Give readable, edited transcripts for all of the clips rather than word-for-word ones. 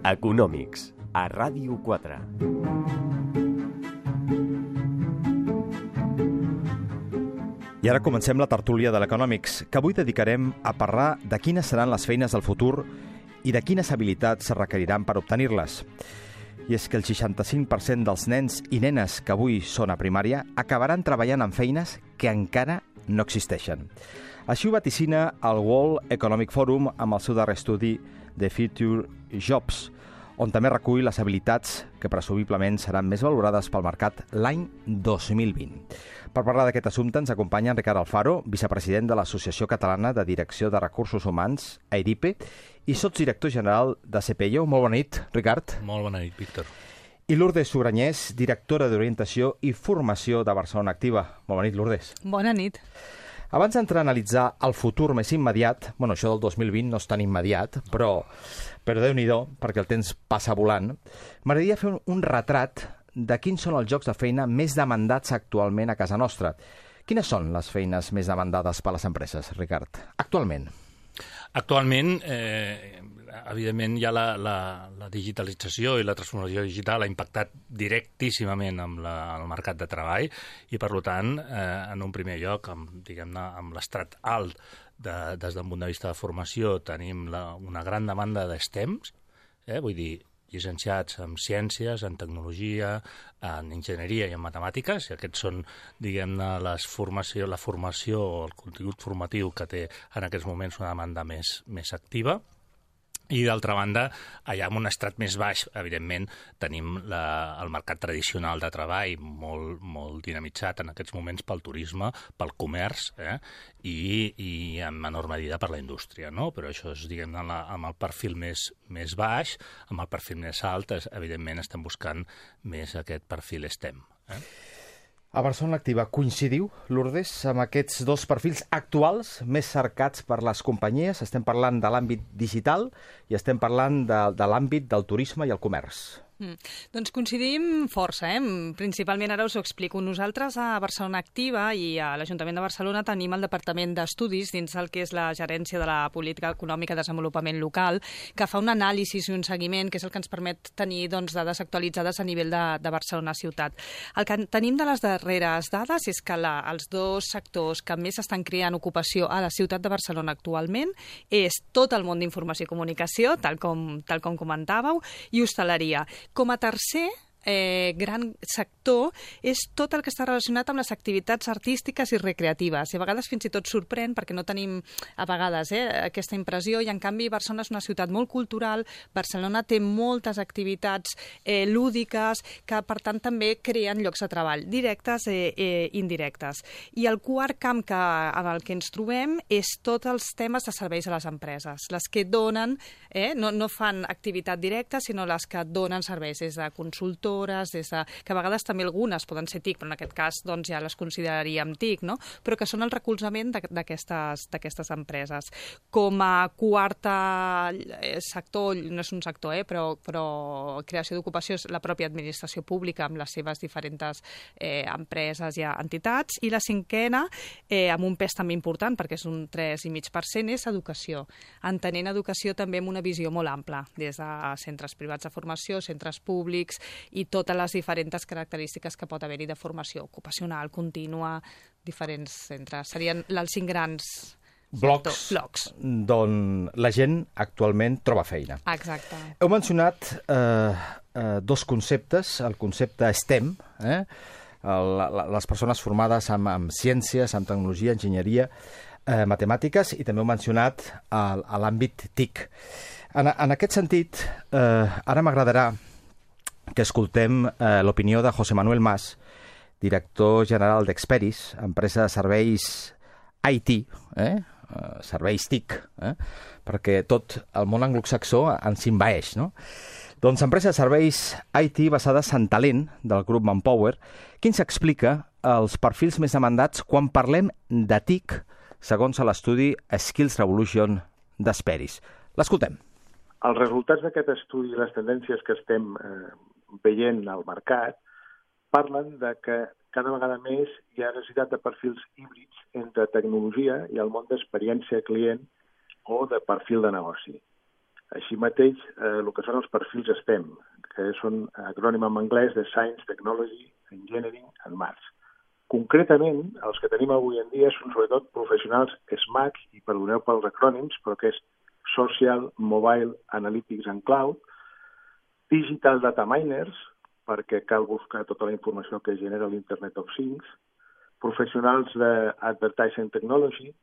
Econòmics, a Ràdio 4. I ara comencem la tertúlia de l'Econòmics, que avui dedicarem a parlar de quines seran les feines del futur i de quines habilitats es requeriran per obtenir-les. I és que el 65% dels nens i nenes que avui són a primària acabaran treballant en feines que encara no existeixen. Així ho vaticina el World Economic Forum amb el seu darrer estudi The Future Jobs, on també recull les habilitats que presumiblement seran més valorades pel mercat l'any 2020. Per parlar d'aquest assumpte ens acompanya en Ricard Alfaro, vicepresident de l'Associació Catalana de Direcció de Recursos Humans, AIRIPE, i sotsdirector general de CPIO. Molt bona nit, Ricard. Molt bona nit, Víctor. I Lourdes Sugranyés, directora d'Orientació i Formació de Barcelona Activa. Molt bona nit, Lourdes. Bona nit. Abans d'entrar a analitzar el futur més immediat, això del 2020 no és tan immediat, però Déu-n'hi-do, perquè el temps passa volant, m'agradaria fer un retrat de quins són els llocs de feina més demandats actualment a casa nostra. Quines són les feines més demandades per les empreses, Ricard, actualment? Actualment, evidentment, ja la digitalització i la transformació digital ha impactat directíssimament amb el mercat de treball i, per tant, en un primer lloc, amb l'estrat alt des d'un punt de vista de formació, tenim una gran demanda d'STEMs, vull dir, llicenciats en ciències, en tecnologia, en enginyeria i en matemàtiques, i aquests són, diguem-ne, la formació o el contingut formatiu que té en aquests moments una demanda més activa. I, d'altra banda, allà en un estrat més baix, evidentment, tenim el mercat tradicional de treball molt dinamitzat en aquests moments pel turisme, pel comerç, i en menor medida per la indústria, no? Però això és, diguem-ne, amb el perfil més baix, amb el perfil més alt, evidentment, estem buscant més aquest perfil STEM. A Barcelona Activa coincidiu, Lourdes, amb aquests dos perfils actuals més cercats per les companyies? Estem parlant de l'àmbit digital i estem parlant de l'àmbit del turisme i el comerç. Doncs coincidim força, Principalment, ara us ho explico. Nosaltres a Barcelona Activa i a l'Ajuntament de Barcelona tenim el Departament d'Estudis dins el que és la Gerència de la Política Econòmica i Desenvolupament Local, que fa un anàlisi i un seguiment, que és el que ens permet tenir dades actualitzades a nivell de Barcelona ciutat. El que tenim de les darreres dades és que els dos sectors que més estan creant ocupació a la ciutat de Barcelona actualment és tot el món d'informació i comunicació, tal com comentàveu, i hostaleria. Com a tercer gran sector és tot el que està relacionat amb les activitats artístiques i recreatives. I a vegades fins i tot sorprèn perquè no tenim a vegades aquesta impressió i en canvi Barcelona és una ciutat molt cultural, Barcelona té moltes activitats lúdiques que per tant també creen llocs de treball, directes i indirectes. I el quart camp amb el que ens trobem és tots els temes de serveis a les empreses, les que donen, no fan activitat directa, sinó les que donen serveis, des de consultors, que a vegades també algunes poden ser TIC, però en aquest cas ja les consideraríem TIC, no? Però que són el recolzament d'aquestes empreses. Com a quarta sector, no és un sector, però creació d'ocupació és la pròpia administració pública amb les seves diferents empreses i entitats. I la cinquena, amb un pes també important, perquè és un 3,5%, és educació. Entenent educació també amb una visió molt ampla, des de centres privats de formació, centres públics i totes les diferents característiques que pot haver-hi de formació ocupacional, contínua, diferents centres. Serien els 5 grans blocs d'on la gent actualment troba feina. Exacte. Heu mencionat dos conceptes, el concepte STEM, les persones formades en ciències, en tecnologia, enginyeria, matemàtiques, i també heu mencionat l'àmbit TIC. En aquest sentit, ara m'agradarà que escoltem l'opinió de José Manuel Mas, director general d'Experis, empresa de serveis IT, serveis TIC, perquè tot el món anglosaxó ens envaeix, no? Doncs empresa de serveis IT basada en talent del grup Manpower, que ens explica els perfils més demandats quan parlem de TIC, segons l'estudi Skills Revolution d'Experis. L'escoltem. Els resultats d'aquest estudi i les tendències que estem veient al mercat parlen de que cada vegada més hi ha necessitat de perfils híbrids entre tecnologia i el món d'experiència client o de perfil de negoci. Així mateix, el que són els perfils STEM, que són acrònim en anglès de Science, Technology, Engineering and Maths. Concretament, els que tenim avui en dia són sobretot professionals SMAC, i perdoneu pels acrònims, però que és Social, Mobile, Analytics and Cloud, Digital Data Miners, perquè cal buscar tota la informació que genera l'Internet of Things, professionals d'Advertising Technology,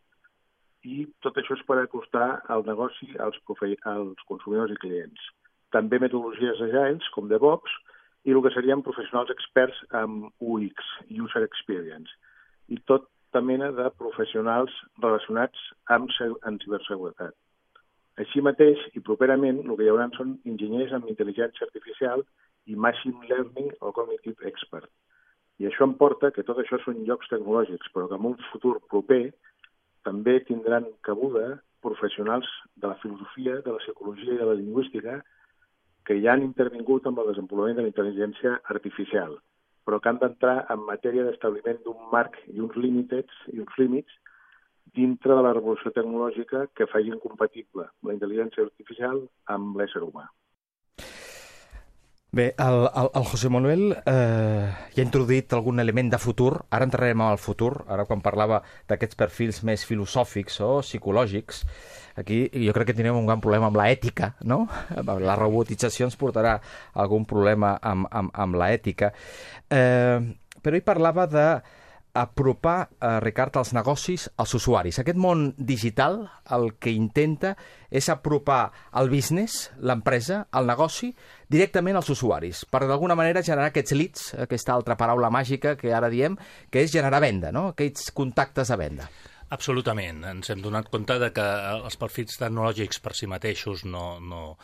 i tot això és per acostar el negoci als consumidors i clients. També metodologies agiles, com DevOps, i el que serien professionals experts en UX, User Experience, i tota mena de professionals relacionats amb ciberseguretat. Així mateix, i properament, el que hi haurà són enginyers amb intel·ligència artificial i Machine Learning o Cognitive Expert. I això em porta que tot això són llocs tecnològics, però que en un futur proper també tindran cabuda professionals de la filosofia, de la psicologia i de la lingüística que ja han intervingut amb el desenvolupament de la intel·ligència artificial, però que han d'entrar en matèria d'establiment d'un marc i uns límits dintre de la revolució tecnològica que facin compatible la intel·ligència artificial amb l'ésser humà. Bé, el José Manuel ja ha introduït algun element de futur. Ara entrarem al futur, ara quan parlava d'aquests perfils més filosòfics o psicològics. Aquí jo crec que tindrem un gran problema amb l'ètica, no? La robotització ens portarà algun problema amb l'ètica. Però ell parlava d'apropar, Ricard, els negocis als usuaris. Aquest món digital el que intenta és apropar el business, l'empresa, el negoci, directament als usuaris, per d'alguna manera generar aquests leads, aquesta altra paraula màgica que ara diem, que és generar venda, no? Aquests contactes a venda. Absolutament. Ens hem donat compte de que els perfils tecnològics per si mateixos no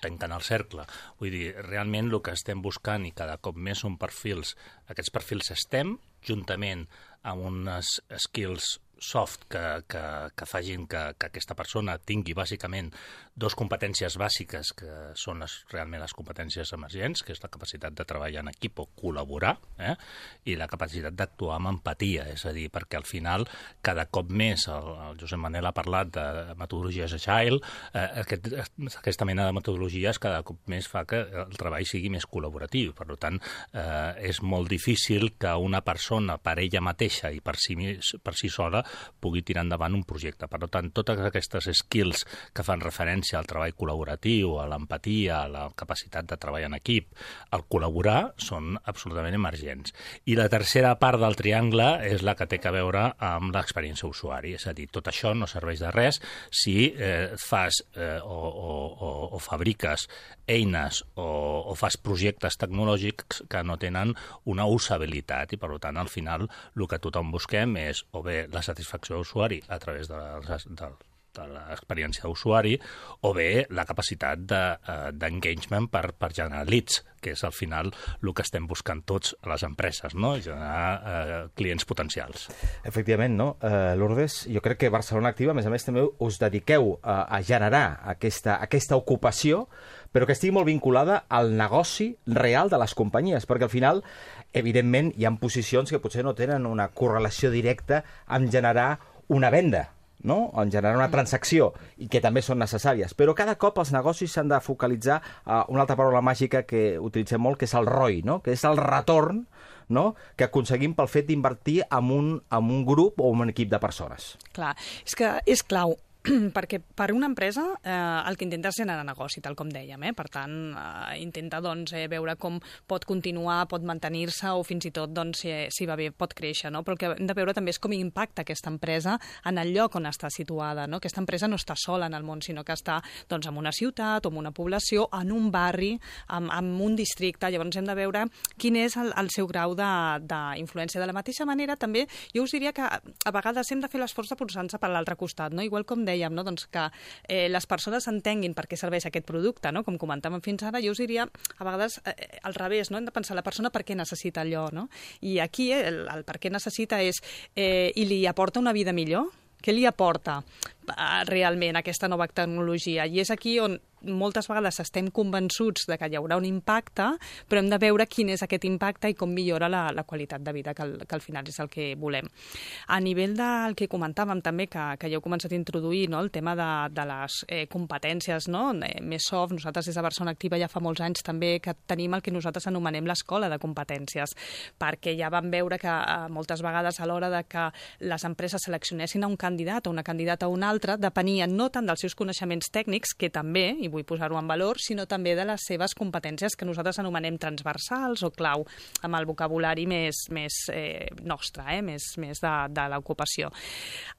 tanquen el cercle. Vull dir, realment el que estem buscant i cada cop més són perfils, aquests perfils STEM, juntament amb unes skills soft que facin que aquesta persona tingui bàsicament dues competències bàsiques que són realment les competències emergents, que és la capacitat de treballar en equip o col·laborar, i la capacitat d'actuar amb empatia, és a dir, perquè al final cada cop més, el Josep Manel ha parlat de metodologies agile, aquesta mena de metodologies cada cop més fa que el treball sigui més col·laboratiu. Per tant, és molt difícil que una persona per ella mateixa i per si sola pugui tirar endavant un projecte. Per tant, totes aquestes skills que fan referència al treball col·laboratiu, a l'empatia, a la capacitat de treballar en equip, al col·laborar, són absolutament emergents. I la tercera part del triangle és la que té a veure amb l'experiència usuari. És a dir, tot això no serveix de res si fas o fabriques eines o fas projectes tecnològics que no tenen una usabilitat i, per tant, al final el que tothom busquem és o bé la satisfacció d'usuari a través de l'experiència d'usuari o bé la capacitat d'engagement per generar leads, que és al final el que estem buscant tots a les empreses, no? Generar clients potencials. Efectivament, no? Lourdes, jo crec que Barcelona Activa, a més també us dediqueu a generar aquesta ocupació, però que estigui molt vinculada al negoci real de les companyies, perquè al final, evidentment, hi ha posicions que potser no tenen una correlació directa amb generar una venda, no? En generar una transacció, i que també són necessàries. Però cada cop els negocis s'han de focalitzar a una altra paraula màgica que utilitzem molt, que és el ROI, no? Que és el retorn, no? Que aconseguim pel fet d'invertir en un grup o en un equip de persones. Clar, és que és clau, perquè per una empresa el que intenta és generar negoci, tal com dèiem. Per tant, intenta veure com pot continuar, pot mantenir-se o fins i tot, si va bé, pot créixer. No? Però el que hem de veure també és com impacta aquesta empresa en el lloc on està situada. No? Aquesta empresa no està sola en el món, sinó que està en una ciutat o en una població, en un barri, en un districte. Llavors hem de veure quin és el seu grau d'influència. De la mateixa manera, també, jo us diria que a vegades hem de fer l'esforç de posar-nos per l'altre costat. No? Igual com dèiem, no? Que les persones entenguin per què serveix aquest producte, no? Com comentàvem fins ara, jo us diria a vegades al revés, no? Hem de pensar la persona per què necessita allò, no? I aquí el per què necessita és i li aporta una vida millor? Què li aporta? realment aquesta nova tecnologia. I és aquí on moltes vegades estem convençuts de que hi haurà un impacte, però hem de veure quin és aquest impacte i com millora la qualitat de vida, que al final és el que volem. A nivell del que comentàvem també, que ja heu començat a introduir, no? El tema de les competències, no? Més soft, nosaltres des de Barcelona Activa ja fa molts anys també que tenim el que nosaltres anomenem l'escola de competències, perquè ja vam veure que moltes vegades a l'hora de que les empreses seleccionessin a un candidat o una candidata a un altre, depenien no tant dels seus coneixements tècnics, que també, i vull posar-ho en valor, sinó també de les seves competències que nosaltres anomenem transversals o clau, amb el vocabulari més nostre, més de l'ocupació.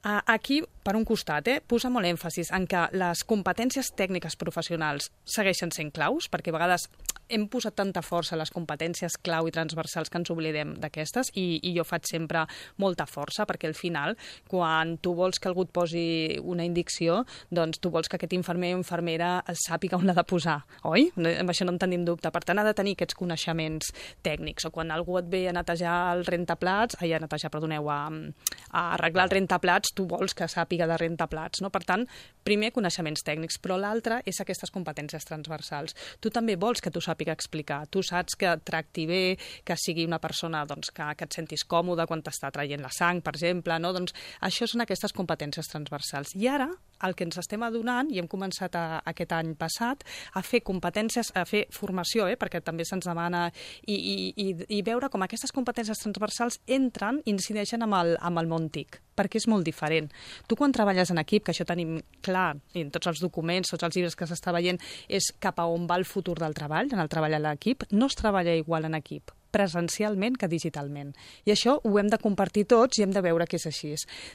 Aquí, per un costat, posa molt èmfasis en que les competències tècniques professionals segueixen sent claus, perquè a vegades hem posat tanta força a les competències clau i transversals que ens oblidem d'aquestes, i jo faig sempre molta força, perquè al final, quan tu vols que algú et posi una indicció, doncs tu vols que aquest infermer o infermera sàpiga on l'ha de posar, oi? Amb això no en tenim dubte. Per tant, ha de tenir aquests coneixements tècnics. O quan algú et ve a netejar el rentaplats, a arreglar el rentaplats, tu vols que sàpiga de rentaplats, no? Per tant, primer, coneixements tècnics, però l'altre és aquestes competències transversals. Tu també vols que tu sàpiga explicar, tu saps que et tracti bé, que sigui una persona que et sentis còmode quan t'està traient la sang, per exemple, no? Doncs això són aquestes competències transversals. I ara, el que ens estem adonant, i hem començat aquest any passat, a fer competències, a fer formació, perquè també se'ns demana, i veure com aquestes competències transversals entren i incideixen amb el món TIC, perquè és molt diferent. Tu quan treballes en equip, que això tenim clar, i en tots els documents, tots els llibres que s'està veient, és cap a on va el futur del treball, en el treball a l'equip, no es treballa igual en equip presencialment que digitalment. I això ho hem de compartir tots i hem de veure que és així.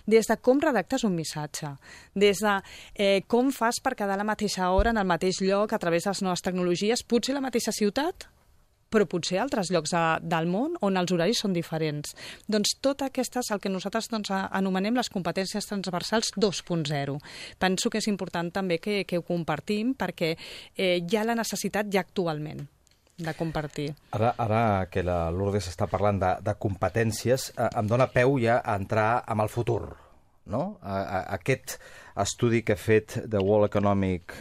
Des de com redactes un missatge, des de com fas per quedar a la mateixa hora en el mateix lloc a través de les noves tecnologies, potser a la mateixa ciutat, però potser altres llocs del món on els horaris són diferents. Doncs tot aquestes, el que nosaltres anomenem les competències transversals 2.0. Penso que és important també que ho compartim perquè hi ha la necessitat ja actualment de compartir. Ara que la Lourdes està parlant de competències, em dóna peu ja a entrar amb el futur, no? Aquest estudi que ha fet The World Economic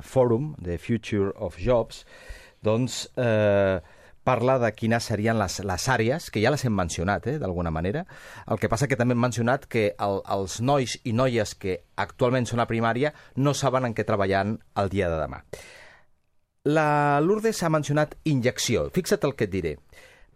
Forum, The Future of Jobs, doncs parla de quines serien les àrees, que ja les hem mencionat, d'alguna manera. El que passa que també hem mencionat que els nois i noies que actualment són a primària no saben en què treballant el dia de demà. La Lourdes ha mencionat injecció. Fixa't el que et diré.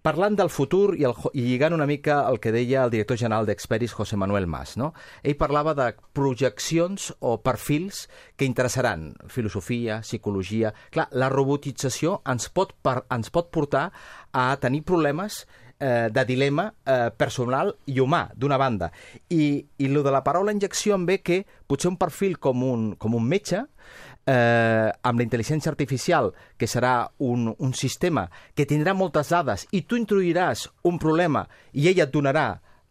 Parlant del futur i lligant una mica el que deia el director general d'Experis, José Manuel Mas, no? Ell parlava de projeccions o perfils que interessaran filosofia, psicologia. Clar, la robotització ens pot portar a tenir problemes de dilema personal i humà, d'una banda. I lo de la paraula injecció em ve que potser un perfil com un metge, amb la intel·ligència artificial, que serà un sistema que tindrà moltes dades i tu introduiràs un problema i ella et donarà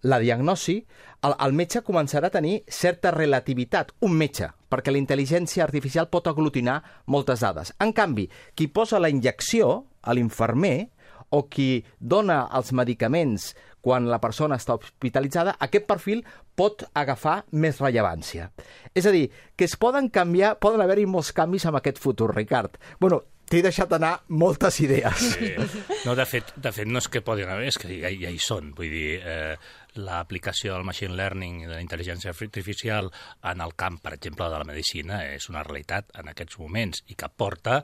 la diagnosi, el metge començarà a tenir certa relativitat, un metge, perquè la intel·ligència artificial pot aglutinar moltes dades. En canvi, qui posa la injecció, a l'infermer, o qui dona els medicaments quan la persona està hospitalitzada, aquest perfil pot agafar més rellevància. És a dir, que es poden haver-hi molts canvis amb aquest futur, Ricard. Bueno, t'he deixat anar moltes idees. Sí. No, de fet, no és que poden haver, és que ja hi són. Vull dir, l'aplicació del machine learning i de la intel·ligència artificial en el camp, per exemple, de la medicina és una realitat en aquests moments i que porta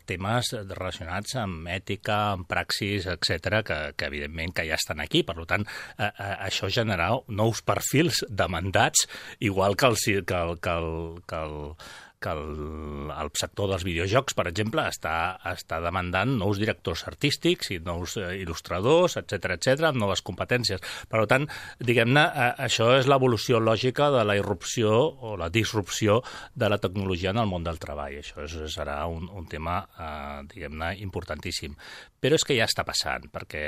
temes relacionats amb ètica, amb praxis, etc que evidentment que ja estan aquí. Per tant, això generarà nous perfils demandats, igual que el sector dels videojocs, per exemple, està demandant nous directors artístics i nous il·lustradors, etc amb noves competències. Per tant, diguem-ne, això és l'evolució lògica de la irrupció o la disrupció de la tecnologia en el món del treball. Això serà un tema, diguem-ne, importantíssim. Però és que ja està passant, perquè,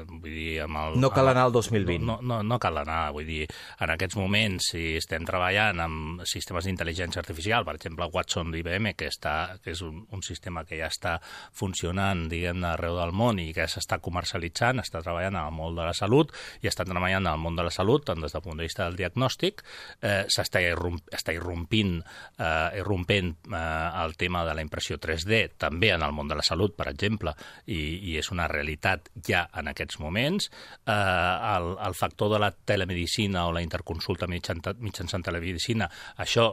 vull dir... No cal anar al 2020. No cal anar, vull dir, en aquests moments, si estem treballant amb sistemes d'intel·ligència artificial, per exemple, Watson d'IBM, que és un sistema que ja està funcionant, diguem-ne, arreu del món i que s'està comercialitzant, està treballant en el món de la salut i està treballant en el món de la salut, tant des del punt de vista del diagnòstic, s'està irrompent el tema de la impressió 3D, també en el món de la salut, per exemple, i és una realitat ja en aquests moments. El factor de la telemedicina o la interconsulta mitjançant telemedicina, això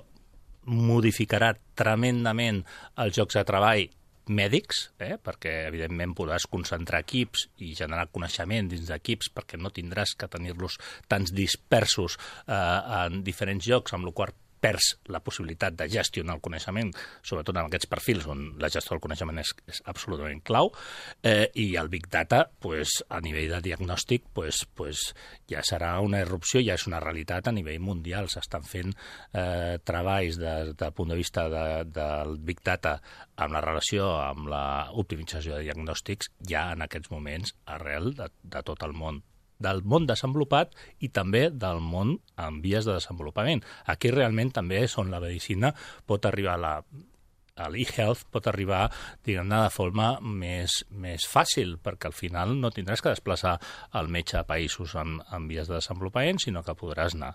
modificarà tremendament els llocs de treball mèdics, perquè evidentment podràs concentrar equips i generar coneixement dins d'equips perquè no tindràs que tenir-los tants dispersos en diferents llocs, amb la qual perds la possibilitat de gestionar el coneixement, sobretot en aquests perfils on la gestió del coneixement és absolutament clau, i el Big Data, a nivell de diagnòstic, ja serà una irrupció, ja és una realitat a nivell mundial. S'estan fent treballs des del punt de vista del Big Data amb la relació amb l'optimització de diagnòstics ja en aquests moments arrel de tot el món, del món desenvolupat i també del món en vies de desenvolupament. Aquí realment també és on la medicina pot arribar l'e-health pot arribar, diguem-ne, de forma més fàcil, perquè al final no tindràs que desplaçar el metge a països en vies de desenvolupament, sinó que podràs anar.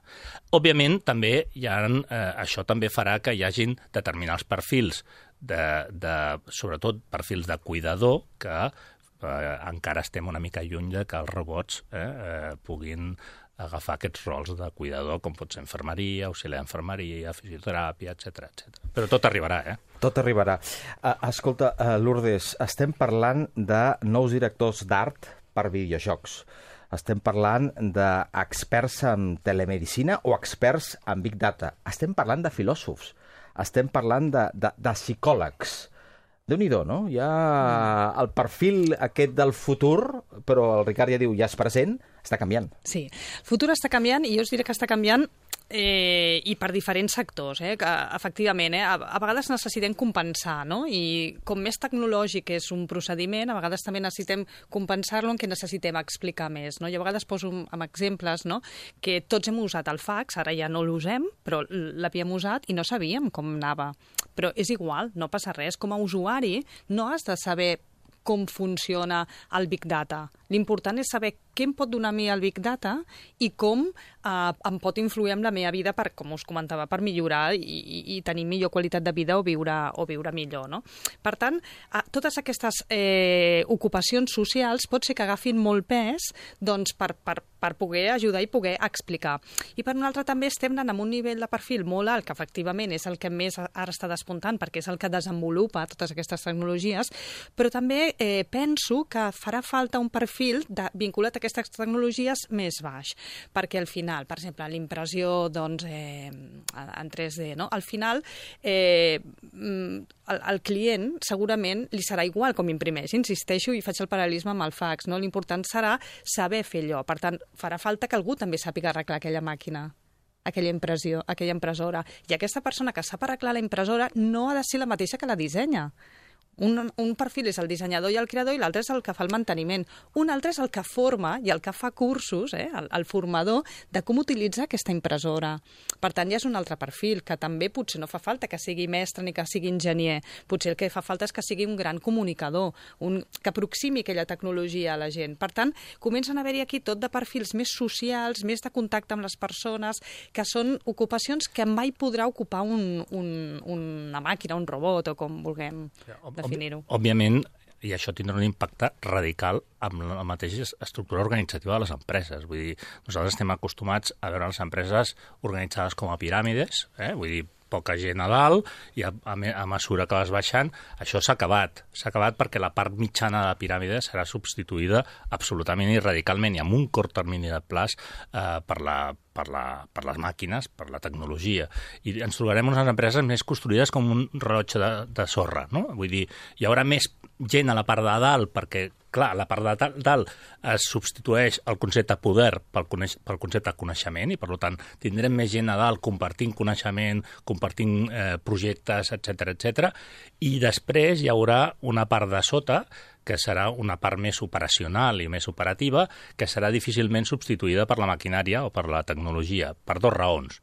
Òbviament, també això també farà que hi hagin determinats perfils, sobretot perfils de cuidador, que encara estem una mica lluny de que els robots puguin agafar aquests rols de cuidador, com pot ser infermeria, auxiliar d'infermeria, fisioteràpia, etc. Però tot arribarà, Tot arribarà. Escolta, Lourdes, estem parlant de nous directors d'art per videojocs. Estem parlant d'experts en telemedicina o experts en Big Data. Estem parlant de filòsofs. Estem parlant de psicòlegs. Déu-n'hi-do, no? Hi ha el perfil aquest del futur, però el Ricard ja diu, ja és present, està canviant. Sí, el futur està canviant i jo us diré que està canviant i per diferents sectors, que efectivament, a vegades necessitem compensar, no? I com més tecnològic és un procediment, a vegades també necessitem compensar-lo en què necessitem explicar més, no? Jo a vegades poso amb exemples, no?, que tots hem usat el fax, ara ja no l'usem, però l'havíem usat i no sabíem com anava. Però és igual, no passa res. Com a usuari no has de saber com funciona el Big Data. L'important és saber què em pot donar a mi el Big Data i com em pot influir en la meva vida, per, com us comentava, per millorar i tenir millor qualitat de vida o viure millor, no? Per tant, totes aquestes ocupacions socials pot ser que agafin molt pes doncs, per poder ajudar i poder explicar. I per un altre també estem anant amb un nivell de perfil molt alt, que efectivament és el que més ara està despuntant, perquè és el que desenvolupa totes aquestes tecnologies, però també penso que farà falta un perfil vinculat a aquestes tecnologies més baix, perquè al final, per exemple, l'impressió doncs, en 3D, no? Al final el client segurament li serà igual com imprimeix, insisteixo i faig el paral·lelisme amb el fax, no? L'important serà saber fer allò, per tant, farà falta que algú també sàpiga arreglar aquella màquina, aquella impressió, aquella impressora, i aquesta persona que sap arreglar la impressora no ha de ser la mateixa que la dissenya. Un perfil és el dissenyador i el creador i l'altre és el que fa el manteniment. Un altre és el que forma i el que fa cursos, el formador, de com utilitzar aquesta impressora. Per tant, ja és un altre perfil, que també potser no fa falta que sigui mestre ni que sigui enginyer. Potser el que fa falta és que sigui un gran comunicador, que aproximi aquella tecnologia a la gent. Per tant, comencen a haver-hi aquí tot de perfils més socials, més de contacte amb les persones, que són ocupacions que mai podrà ocupar una màquina, un robot o com vulguem definir-ho. Òbviament, i això tindrà un impacte radical amb la mateixa estructura organitzativa de les empreses. Vull dir, nosaltres estem acostumats a veure les empreses organitzades com a piràmides, vull dir, poca gent a dalt, i a mesura que vas baixant, això s'ha acabat. S'ha acabat perquè la part mitjana de la piràmide serà substituïda absolutament i radicalment, i amb un curt termini de plaç per les màquines, per la tecnologia. I ens trobarem unes empreses més construïdes com un rellotge de sorra, no? Vull dir, hi haurà més gent a la part de dalt perquè, clar, a la part de dalt es substitueix el concepte poder pel concepte coneixement i, per tant, tindrem més gent a dalt compartint coneixement, compartint projectes, etc. I després hi haurà una part de sota que serà una part més operacional i més operativa, que serà difícilment substituïda per la maquinària o per la tecnologia, per dues raons.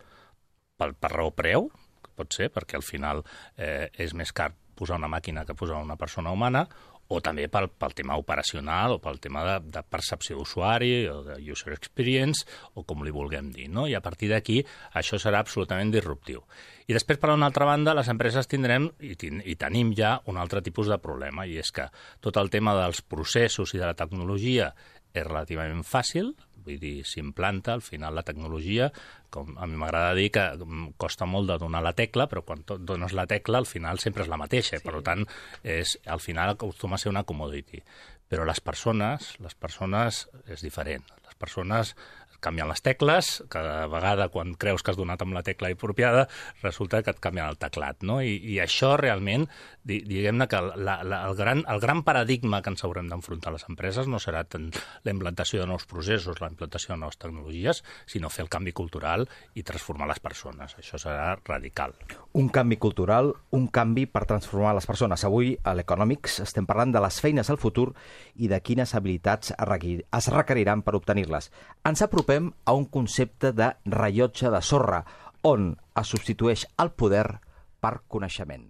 Per raó preu, pot ser, perquè al final és més car posar una màquina que posar una persona humana, o també pel tema operacional o pel tema de percepció d'usuari o de user experience o com li vulguem dir, no? I a partir d'aquí això serà absolutament disruptiu. I després, per una altra banda, les empreses tindrem i tenim ja un altre tipus de problema, i és que tot el tema dels processos i de la tecnologia és relativament fàcil, vull dir, s'implanta, al final la tecnologia, com a mi m'agrada dir que costa molt de donar la tecla, però quan dones la tecla al final sempre és la mateixa, sí. Per tant, al final acostuma a ser una commodity. Però les persones és diferent. Les persones canvien les tecles, cada vegada quan creus que has donat amb la tecla apropiada, resulta que et canvien el teclat, no? I això realment, diguem-ne que el gran paradigma que ens haurem d'enfrontar a les empreses no serà tant la implantació de nous processos, la implantació de noves tecnologies, sinó fer el canvi cultural i transformar les persones. Això serà radical. Un canvi cultural, un canvi per transformar les persones. Avui, a l'Economics, estem parlant de les feines al futur i de quines habilitats es requeriran per obtenir-les. Ens apropem a un concepte de rellotge de sorra, on es substitueix el poder per coneixement.